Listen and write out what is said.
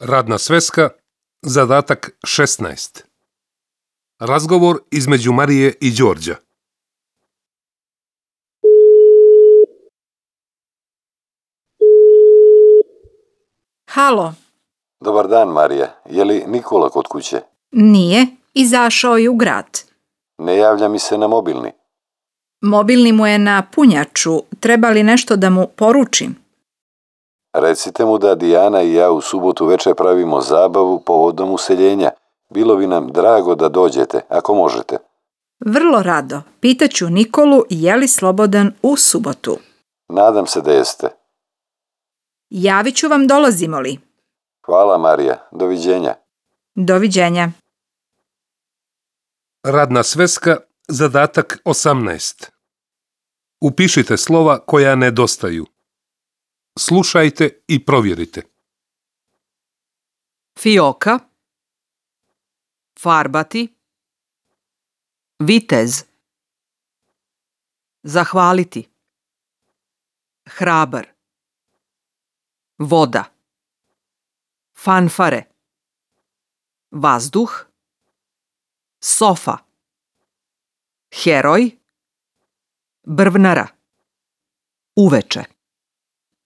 Radna sveska, zadatak 16. Razgovor između Marije i Đorđa. Halo, Dobar dan, Marija. Je li Nikola kod kuće? nije, izašao je u grad. Ne javlja mi se na mobilni. Mobilni mu je na punjaču, treba li nešto da mu poručim? Recite mu da Dijana i ja u subotu večer pravimo zabavu povodom useljenja. Bilo bi nam drago da dođete, ako možete. Vrlo rado, pitaću Nikolu je li slobodan u subotu. Nadam se da jeste. Javit ću vam dolazimo li. Hvala, Marija. Doviđenja. Doviđenja. Radna sveska, zadatak 18. Upišite slova koja nedostaju. Slušajte i provjerite. Fioka, farbati, vitez, zahvaliti, hrabar, voda, fanfare, vazduh, sofa, heroj, brvnara, uveče.